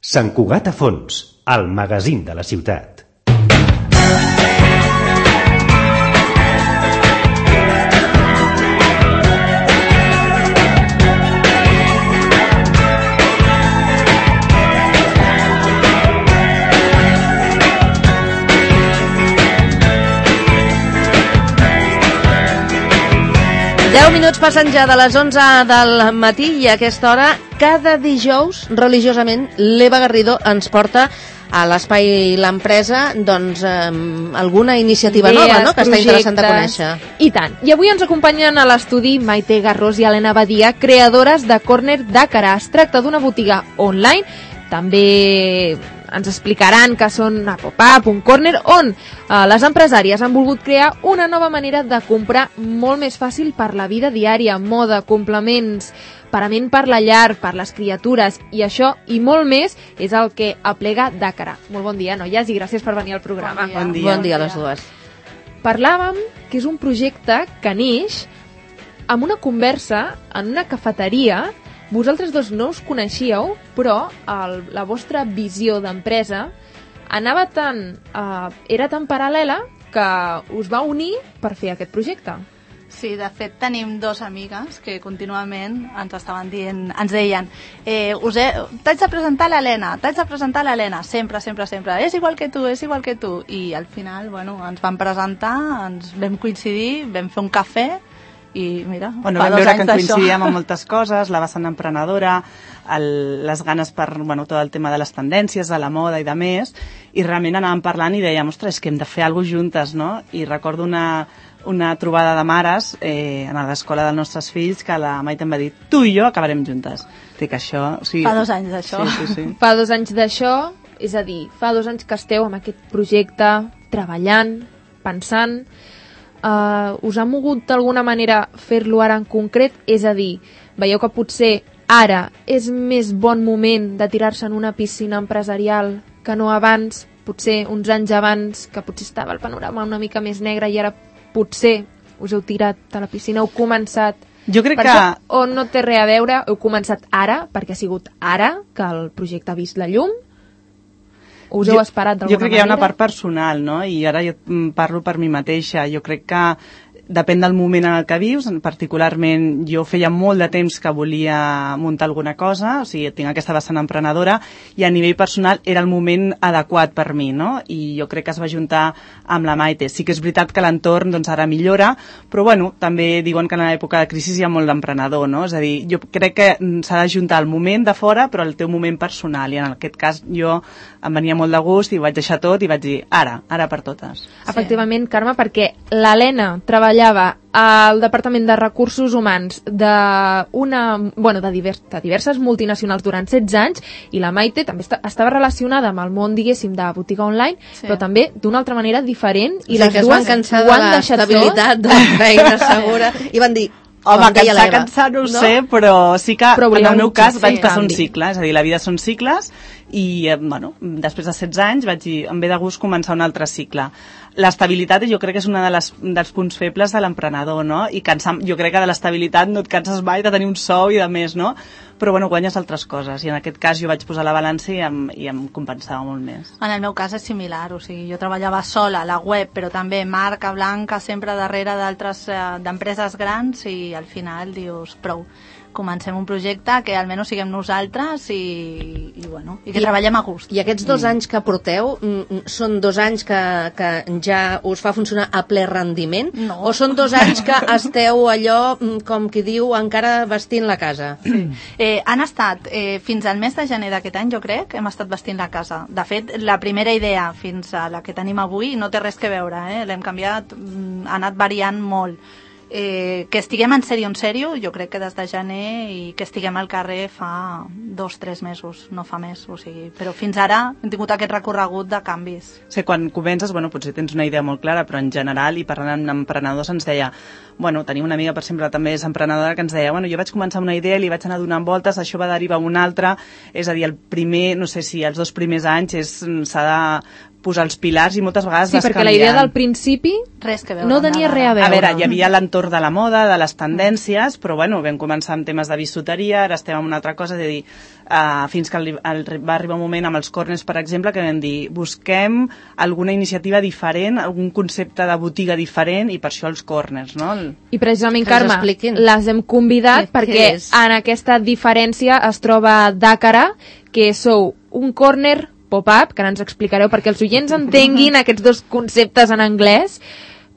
Sant Cugat a fons, el magazín de la ciutat. Minuts passen ja de les 11 del matí i a aquesta hora, cada dijous, religiosament, l'Eva Garrido ens porta a l'Espai l'Empresa doncs, alguna iniciativa nova, no?, que està interessant de conèixer. I tant. I avui ens acompanyen a l'estudi Maite Garrós i Helena Badia, creadores de Corner d'Àcara. Es tracta d'una botiga online, també ens explicaran que són a pop-up, un corner, on les empresàries han volgut crear una nova manera de comprar molt més fàcil per la vida diària, moda, complements, parament per la llar, per les criatures, i això i molt més és el que aplega d'Àcara. Molt bon dia, noies, i gràcies per venir al programa. Bon dia a les dues. Parlàvem que és un projecte que neix amb una conversa en una cafeteria. Vosaltres dos no us coneixíeu, però la vostra visió d'empresa anava era tan paral·lela que us va unir per fer aquest projecte. Sí, de fet tenim dos amigues que contínuament ens deien t'haig de presentar l'Helena, sempre, és igual que tu, i al final, ens van presentar, ens vam coincidir, vam fer un cafè, i mira, vam veure que coincidíem amb moltes coses, la vessant emprenedora, les ganes per tot el tema de les tendències, de la moda i de més, i realment anàvem parlant i dèiem, ostres, és que hem de fer alguna cosa juntes, no? I recordo una trobada de mares a l'escola dels nostres fills que la Maite em va dir, tu i jo acabarem juntes. Dic, això... Fa 2 anys d'això. Sí. Fa 2 anys d'això, és a dir, fa 2 anys que esteu amb aquest projecte, treballant, pensant... us ha mogut d'alguna manera fer-lo ara en concret? És a dir, veieu que potser ara és més bon moment de tirar-se en una piscina empresarial que no abans, potser uns anys abans, que potser estava el panorama una mica més negre i ara potser us heu tirat a la piscina, heu començat... Jo crec que... O no té res a veure, heu començat ara, perquè ha sigut ara que el projecte ha vist la llum? Us heu esperat d'alguna manera? Jo crec que hi ha una part personal, no? I ara jo parlo per mi mateixa. Jo crec que depèn del moment en el que vius. Particularment, jo feia molt de temps que volia muntar alguna cosa, o sigui, tinc aquesta vessant emprenedora, i a nivell personal era el moment adequat per mi, no? I jo crec que es va juntar amb la Maite. Sí que és veritat que l'entorn ara millora, però també diuen que en l'època de crisi hi ha molt d'emprenedor, no? És a dir, jo crec que s'ha de juntar el moment de fora, però el teu moment personal, i en aquest cas jo em venia molt de gust i vaig deixar tot i vaig dir, ara per totes. Efectivament, Carme, perquè l'Helena treballava al Departament de Recursos Humans de diverses multinacionals durant 16 anys, i la Maite també estava relacionada amb el món, diguéssim, de botiga online, però també d'una altra manera diferent, i les dues van cansar de l'estabilitat de la feina segura i van dir, home, cansar no ho sé, però sí que en el meu cas vaig passar un cicle, és a dir, la vida són cicles, i després de 16 anys vaig dir, em ve de gust començar un altre cicle. L'estabilitat jo crec que és un dels punts febles de l'emprenedor, no? I jo crec que de l'estabilitat no et canses mai de tenir un sou i de més, no? Però guanyes altres coses, i en aquest cas jo vaig posar la balança i em compensava molt més. En el meu cas és similar, o sigui, jo treballava sola a la web, però també marca blanca sempre darrere d'empreses grans, i al final dius, prou, comencem un projecte que almenys siguem nosaltres i que treballem a gust. I aquests 2 anys que porteu són 2 anys que ja us fa funcionar a ple rendiment? No. O són 2 anys que esteu allò, com qui diu, encara vestint la casa? Han estat, fins al mes de gener d'aquest any, jo crec, hem estat vestint la casa. De fet, la primera idea fins a la que tenim avui no té res que veure, l'hem canviat, ha anat variant molt. Que estiguem en sèrio, jo crec que des de gener, i que estiguem al carrer fa 2-3 mesos, no fa més, o sigui, però fins ara hem tingut aquest recorregut de canvis. Sí, quan comences, potser tens una idea molt clara, però en general, i parlant amb emprenedors, ens deia, tenim una amiga, per exemple, també és emprenedora, que ens deia, jo vaig començar amb una idea, li vaig anar donant voltes, això va derivar a una altra, és a dir, el primer, no sé si els 2 primers anys s'ha de posar els pilars i moltes vegades Sí, perquè la idea del principi Res que veure no amb tenia nada. res a veure. A veure, hi havia l'entorn de la moda, de les tendències, però bueno, vam començar amb temes de bisuteria, ara estem en una altra cosa, és a dir, fins que va arribar un moment amb els corners, per exemple, que vam dir, busquem alguna iniciativa diferent, algun concepte de botiga diferent, i per això els corners, no? I precisament, Que ens Carme, expliquin. les hem convidat Què perquè és? en aquesta diferència es troba Dàcara, que sou un corner pop-up, que ara ens explicareu perquè els oients entenguin aquests dos conceptes en anglès,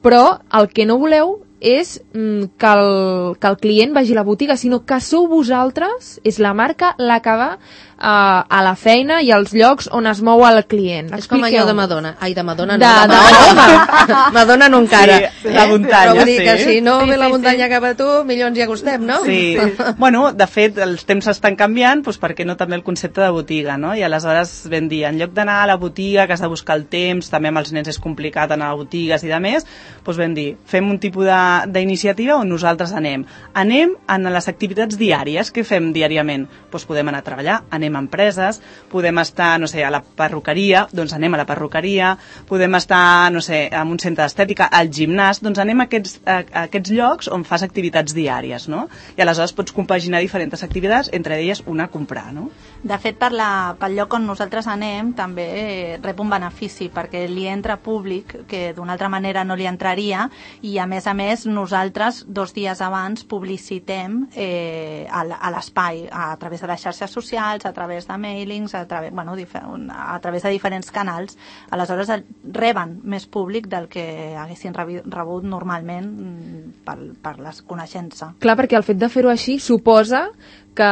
però el que no voleu és que el client vagi a la botiga, sinó que sou vosaltres, és la marca la que va a la feina i als llocs on es mou el client. És com allò de Madonna. Ai, de Madonna no, De Madonna. Madonna no encara. Sí, la muntanya, Però vull dir sí. que si no Sí, ve la sí, muntanya cap a tu, millor ens hi acostem, no? Sí, bueno, de fet, els temps estan canviant, doncs per què no també el concepte de botiga, no? I aleshores vam dir, en lloc d'anar a la botiga, que has de buscar el temps, també amb els nens és complicat anar a botigues i de més, doncs vam dir, fem un tipus d'iniciativa on nosaltres anem. Anem a les activitats diàries. Què fem diàriament? Doncs podem anar a treballar, anem a empreses, podem estar, no sé, a la perruqueria, doncs anem a la perruqueria, podem estar, no sé, en un centre d'estètica, al gimnàs, doncs anem a aquests llocs on fas activitats diàries, no? I aleshores pots compaginar diferents activitats, entre elles una a comprar, no? De fet, pel lloc on nosaltres anem també rep un benefici, perquè li entra públic que d'una altra manera no li entraria, i a més nosaltres 2 dies abans publicitem a l'espai a través de les xarxes socials, a través de mailings, a través de diferents canals. Aleshores reben més públic del que haguessin rebut normalment per les coneixença. Clar, perquè el fet de fer-ho així suposa que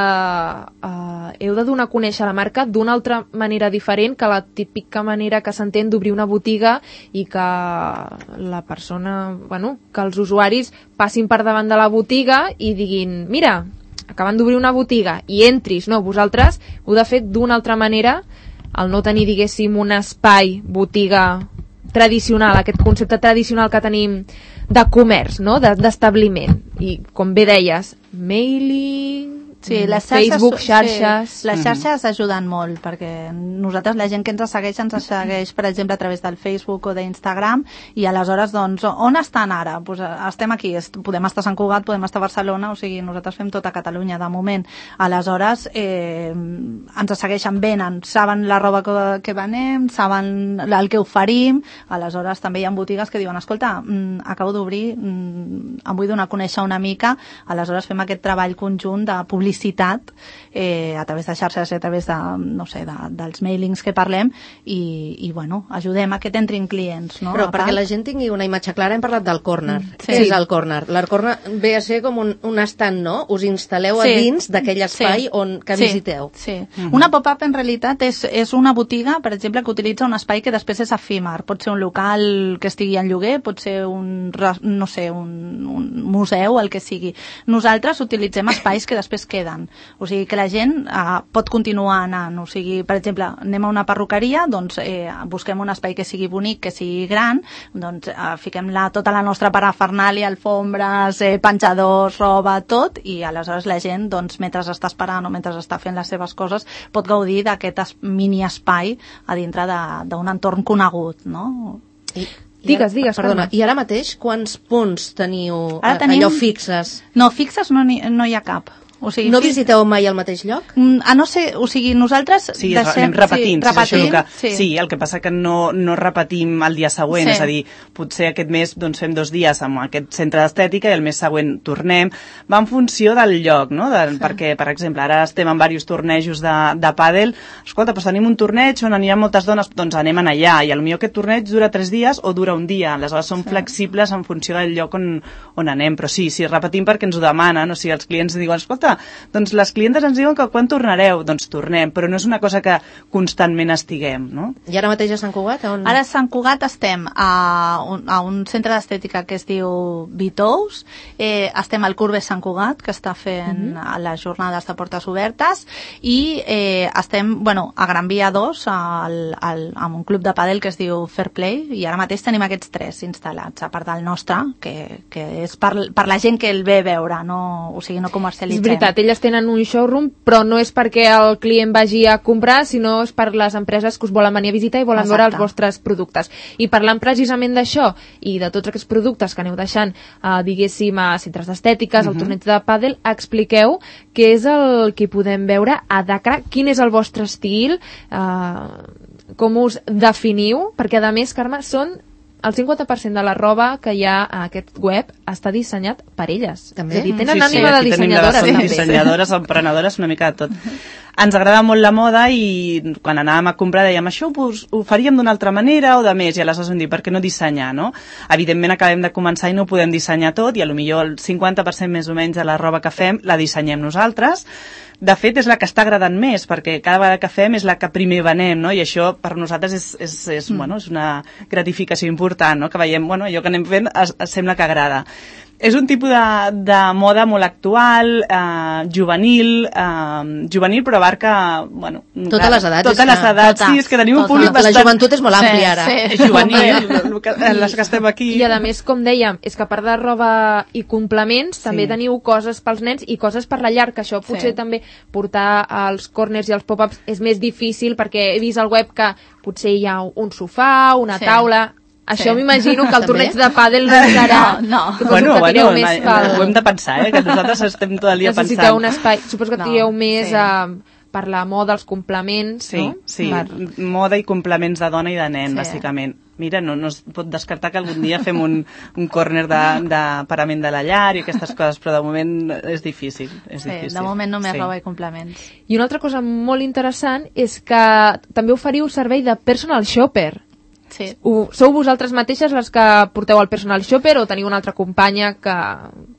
heu de donar a conèixer la marca d'una altra manera diferent que la típica manera que s'entén d'obrir una botiga i que la persona, que els usuaris passin per davant de la botiga i diguin, mira, acaben d'obrir una botiga i entris. No, vosaltres heu de fer d'una altra manera, al no tenir, diguéssim, un espai botiga tradicional, aquest concepte tradicional que tenim de comerç, no? d'establiment. I, com bé deies, mailing, Sí, les xarxes, Facebook, xarxes... Sí, les xarxes ajuden molt, perquè nosaltres, la gent que ens segueix, per exemple, a través del Facebook o d'Instagram, i aleshores, doncs, on estan ara? Pues estem aquí, podem estar a Sant Cugat, podem estar a Barcelona, o sigui, nosaltres fem tota Catalunya, de moment. Aleshores, ens segueixen, venen, saben la roba que venem, saben el que oferim, aleshores també hi ha botigues que diuen, escolta, acabo d'obrir, em vull donar a conèixer una mica, aleshores fem aquest treball conjunt de publicitat a través de xarxes, a través de, no sé, dels mailings que parlem i bueno, ajudem a que t'entrin clients, no? Però perquè la gent tingui una imatge clara, hem parlat del corner. Sí. Què és el corner? El corner ve a ser com un estand, no? Us instal·leu a dins d'aquell espai que visiteu. Sí. Una pop-up en realitat és una botiga, per exemple, que utilitza un espai que després és efímer. Pot ser un local que estigui en lloguer, pot ser un museu, el que sigui. Nosaltres utilitzem espais que després queden. O sigui, que la gent pot continuar anant. O sigui, per exemple, anem a una perruqueria, doncs busquem un espai que sigui bonic, que sigui gran, doncs fiquem tota la nostra parafernàlia, alfombres, penjadors, roba, tot, i aleshores la gent, doncs, mentre està esperant o mentre està fent les seves coses, pot gaudir d'aquest mini espai a dintre d'un entorn conegut, no? Digues, perdona, Carme. i ara mateix quants punts teniu tenim... allò fixes? No, fixes no hi ha cap. O sigui, no visiteu mai al mateix lloc? No sé, o sigui, nosaltres sí, anem repetint, sí. Sí, el que passa que no repetim el dia següent, és a dir, potser aquest mes doncs, fem 2 dies amb aquest centre d'estètica i el mes següent tornem. Va en funció del lloc, no? Perquè, per exemple, ara estem en diversos tornejos de pàdel. Escolta, doncs tenim un torneig on hi ha moltes dones, doncs anem allà, i potser aquest torneig dura 3 dies o dura un dia. Aleshores som flexibles en funció del lloc on anem, però sí, repetim perquè ens ho demanen, o sigui, els clients diuen, escolta, doncs les clientes ens diuen que quan tornareu? Doncs tornem, però no és una cosa que constantment estiguem, no? I ara mateix a Sant Cugat? Ara a Sant Cugat estem a un centre d'estètica que es diu Vitous, estem al Courbes Sant Cugat, que està fent les jornades de portes obertes, i estem, a Gran Via 2, amb un club de pàdel que es diu Fair Play, i ara mateix tenim aquests 3 instal·lats, a part del nostre, que és per la gent que el ve a veure, no, o sigui, no comercialitzem. veritat, elles tenen un showroom, però no és perquè el client vagi a comprar, sinó és per les empreses que us volen venir a visitar i volen veure els vostres productes. I parlant precisament d'això i de tots aquests productes que aneu deixant, diguéssim, a centres d'estètiques, al torneig de pàdel, expliqueu què és el que podem veure a Dakar, quin és el vostre estil, com us definiu, perquè a més, Carme, són el 50% de la roba que hi ha a aquest web està dissenyat per elles. També? És a dir, tenen ànima de dissenyadores. Som dissenyadores, emprenedores, una mica de tot. Ens agrada molt la moda i quan anàvem a comprar dèiem això ho faríem d'una altra manera o de més, i aleshores vam dir, per què no dissenyar, no? Evidentment acabem de començar i no ho podem dissenyar tot, i a lo millor el 50% més o menys de la roba que fem la dissenyem nosaltres. De fet, és la que està agradant més, perquè cada vegada que fem és la que primer venem, no? I això per nosaltres és una gratificació important, no? Que veiem, allò que anem fent sembla que agrada. És un tipus de moda molt actual, juvenil, però abarca, totes les edats. Totes les edats, sí, és que tenim un públic bastant... La joventut és molt àmplia, ara. Sí, juvenil, les que estem aquí. I a més, com dèiem, és que a part de roba i complements, també teniu coses pels nens i coses per la llar, que això potser també portar als corners i als pop-ups és més difícil, perquè he vist al web que potser hi ha un sofà, una taula... Això m'imagino que el torneig de pàdel no serà. No. Ho hem de pensar, que nosaltres estem tot el dia pensant. Necessiteu un espai. Suposo que tireu més per la moda, els complements, no? Sí, moda i complements de dona i de nen, bàsicament. Mira, no es pot descartar que algun dia fem un córner de parament de la llar i aquestes coses, però de moment és difícil. De moment només roba i complements. I una altra cosa molt interessant és que també oferiu servei de personal shopper. Sí. Sou vosaltres mateixes les que porteu el personal shopper o teniu una altra companya que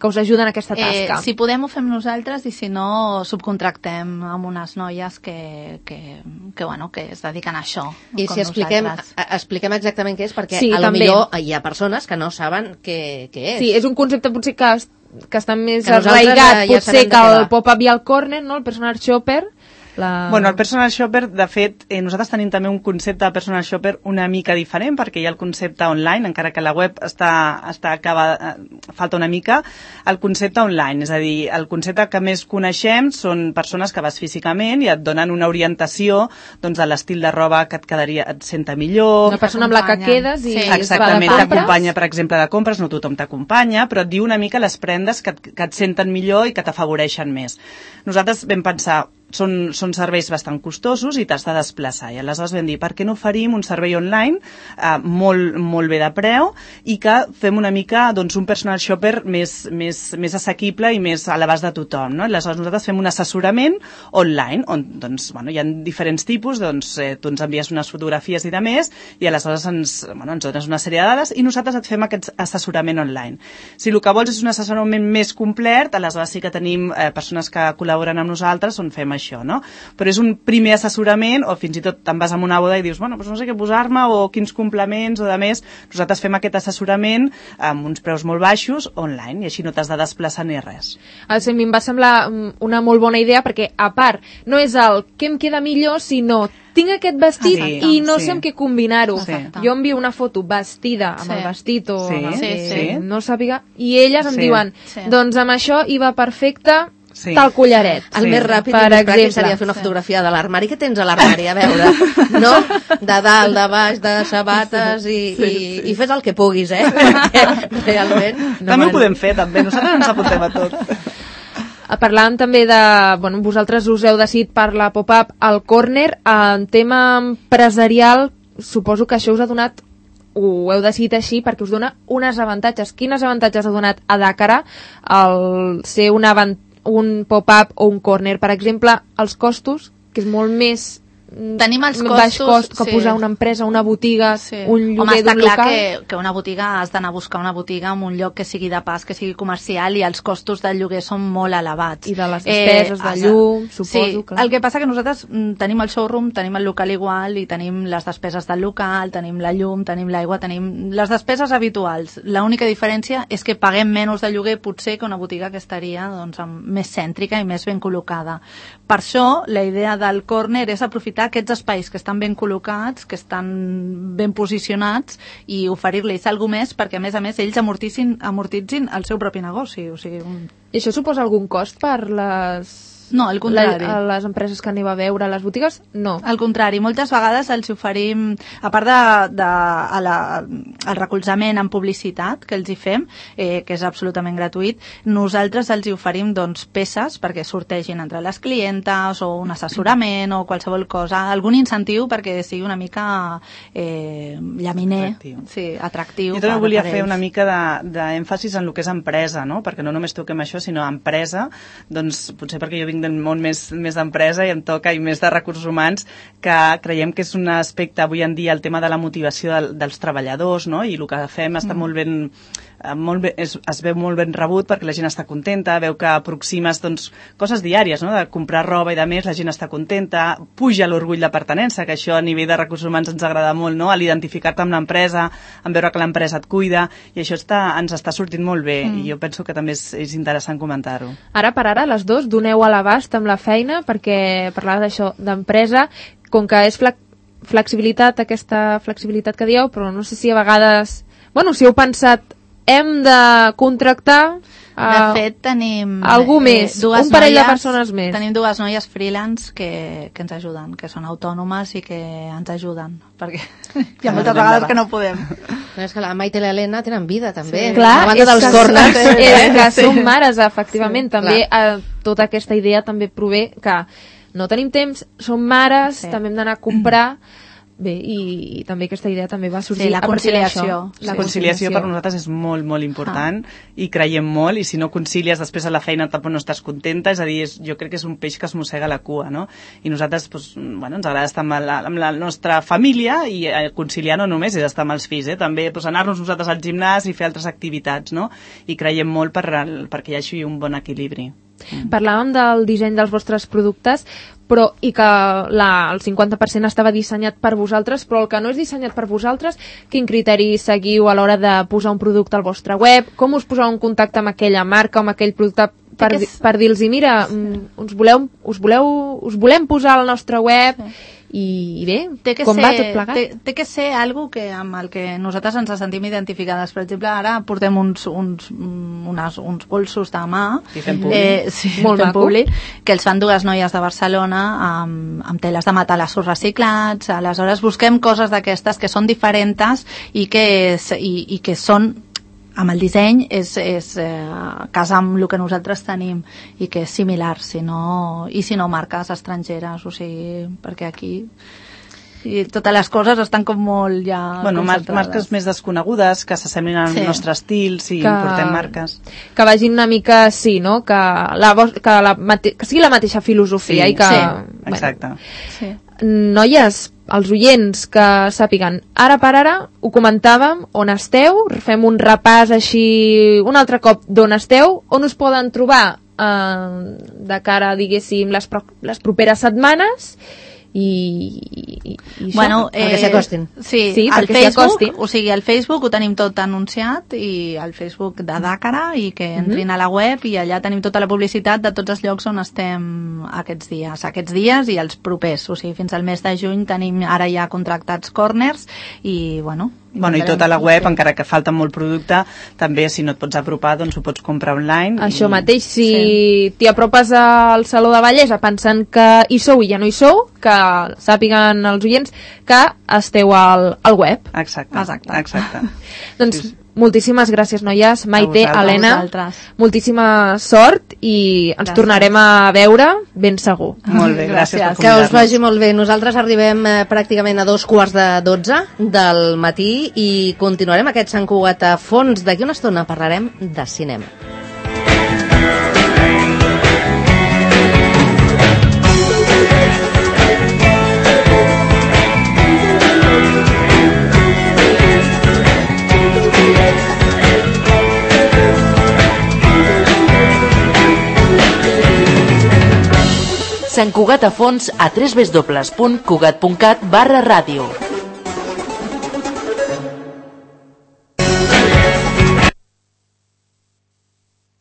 us ajuda en aquesta tasca? Si podem ho fem nosaltres i si no subcontractem amb unes noies que es dediquen a això. I si expliquem exactament què és, perquè sí, millor hi ha persones que no saben què és. Sí, és un concepte potser que està més arraigat, potser que el pop-up i el corner, no? El personal shopper. El personal shopper, de fet, nosaltres tenim també un concepte de personal shopper una mica diferent, perquè hi ha el concepte online, encara que la web falta una mica, el concepte online, és a dir, el concepte que més coneixem són persones que vas físicament i et donen una orientació de l'estil de roba que et senta millor. Una persona amb la que quedes i exactament, t'acompanya, per exemple, de compres, no tothom t'acompanya, però et diu una mica les prendes que et senten millor i que t'afavoreixen més. Nosaltres vam pensar, són serveis bastant costosos i t'has de desplaçar, i aleshores vam dir, per què no oferim un servei online molt bé de preu i que fem una mica un personal shopper més assequible i més a l'abast de tothom, no? Aleshores nosaltres fem un assessorament online on hi ha diferents tipus, tu ens envies unes fotografies i de més, i aleshores ens dones una sèrie de dades i nosaltres et fem aquest assessorament online. Si el que vols és un assessorament més complet, aleshores sí que tenim persones que col·laboren amb nosaltres on fem això, no? Però és un primer assessorament, o fins i tot te'n vas a una boda i dius, no sé què posar-me o quins complements o de més. Nosaltres fem aquest assessorament amb uns preus molt baixos online i així no t'has de desplaçar ni res. A mi em va semblar una molt bona idea perquè, a part, no és el què em queda millor, sinó tinc aquest vestit i no sé amb què combinar-ho. Jo envio una foto vestida amb el vestit o no sàpiga, i elles em diuen, doncs amb això hi va perfecte tal collaret. El més ràpid i més pràctic seria fer una fotografia de l'armari. Què tens a l'armari? A veure, no? De dalt, de baix, de sabates i fes el que puguis, realment. També ho podem fer, també. Nosaltres ens apuntem a tot. Parlàvem també de... vosaltres us heu decidit per la pop-up al corner. En tema empresarial, suposo que això us ha donat, ho heu decidit així perquè us dona uns avantatges. Quins avantatges ha donat a Dakar el ser un pop-up o un corner? Per exemple, els costos, que és molt més tenim els costos, baix cost que posar una empresa, una botiga, un lloguer d'un local. Home, està clar que una botiga, has d'anar a buscar una botiga en un lloc que sigui de pas, que sigui comercial, i els costos del lloguer són molt elevats. I de les despeses de llum, suposo. Clar. El que passa que nosaltres tenim el showroom, tenim el local igual, i tenim les despeses del local, tenim la llum, tenim l'aigua, tenim les despeses habituals. L'única diferència és que paguem menys de lloguer, potser, que una botiga que estaria més cèntrica i més ben col·locada. Per això, la idea del corner és aprofitar aprofitar aquests espais que estan ben col·locats, que estan ben posicionats i oferir-los alguna més perquè, a més, ells amortitzin el seu propi negoci. O sigui, I això suposa algun cost per No, al contrari. les empreses que aneu a veure a les botigues? No. Al contrari, moltes vegades els oferim, a part el recolzament en publicitat que els hi fem, que és absolutament gratuït, nosaltres els hi oferim peces perquè sortegin entre les clientes o un assessorament o qualsevol cosa, algun incentiu perquè sigui una mica llaminer, atractiu. Jo també volia fer una mica d'èmfasis en el que és empresa, no? Perquè no només toquem això, sinó empresa, doncs potser perquè jo vinc del món més d'empresa i em toca i més de recursos humans, que creiem que és un aspecte avui en dia el tema de la motivació dels treballadors, no? I el que fem està molt ben es veu molt ben rebut perquè la gent està contenta, veu que aproximes coses diàries, no? De comprar roba i de més, la gent està contenta, puja l'orgull de pertinença, que això a nivell de recursos humans ens agrada molt, no? A l'identificar-te amb l'empresa, en veure que l'empresa et cuida, i això ens està sortint molt bé, i jo penso que també és interessant comentar-ho. Ara per ara, les dos doneu a l'abast amb la feina, perquè parlar d'això, d'empresa, com que és flexibilitat, aquesta flexibilitat que dieu, però no sé si a vegades... Bueno, si heu pensat, hem de contractar... De fet, tenim... algú més, un parell de persones més. Tenim dues noies freelance que ens ajuden, que són autònomes i que ens ajuden, perquè hi ha moltes vegades que no podem. És que la Maite i l'Helena tenen vida, també. Clar, a banda dels corners. Que som mares, efectivament. També tota aquesta idea també prové que no tenim temps, som mares, també hem d'anar a comprar... Bé, i també aquesta idea també va sorgir la conciliació. La conciliació per nosaltres és molt, molt important i creiem molt, i si no concilies després a la feina tampoc no estàs contenta, és a dir, jo crec que és un peix que es mossega la cua, no? I nosaltres, ens agrada estar amb la nostra família i conciliar no només és estar amb els fills, també anar-nos nosaltres al gimnàs i fer altres activitats, no? I creiem molt perquè hi hagi un bon equilibri. Parlàvem del disseny dels vostres productes, i que el 50% estava dissenyat per vosaltres, però el que no és dissenyat per vosaltres, quin criteri seguiu a l'hora de posar un producte al vostre web? Com us poseu en contacte amb aquella marca o amb aquell producte per dir-los, mira, us volem posar al nostre web? I bé, com va tot plegat? Té que ser algo amb el que nosaltres ens sentim identificades. Per exemple, ara portem uns bolsos de mà molt públic, que els fan dues noies de Barcelona amb teles de matalassos reciclats. Aleshores busquem coses d'aquestes que són diferents i que són amb el disseny casa amb el que nosaltres tenim i que és similar, si no marques estrangeres, o sigui, perquè aquí totes les coses estan com molt ja marques més desconegudes que s'assemblin al nostre estil, portem marques que vagin una mica no? que sigui la mateixa filosofia i que... exacte. Noies, els oients que sàpiguen, ara per ara ho comentàvem, on esteu, fem un repàs així un altre cop d'on esteu, on us poden trobar de cara, diguéssim, les properes setmanes i bueno, perquè s'hi acostin. Sí, al Facebook, o sigui, al Facebook ho tenim tot anunciat, i al Facebook de Dàcara, i que entrin a la web i allà tenim tota la publicitat de tots els llocs on estem aquests dies i els propers, o sigui, fins al mes de juny tenim ara ja contractats corners i i tota la web, encara que falta molt producte, també si no et pots apropar doncs ho pots comprar online. Això mateix, si t'hi apropes al Saló de Bellesa pensant que hi sou i ja no hi sou, que sàpiguen els oients que esteu al web. Exacte. Doncs moltíssimes gràcies, noies. Maite, Helena, moltíssima sort i ens tornarem a veure ben segur. Molt bé, gràcies per convidar-nos. Que us vagi molt bé. Nosaltres arribem pràcticament a 11:45 del matí i continuarem aquest Sant Cugat a fons. D'aquí una estona parlarem de cinema. Sant Cugat a fons a www.cugat.cat/ràdio.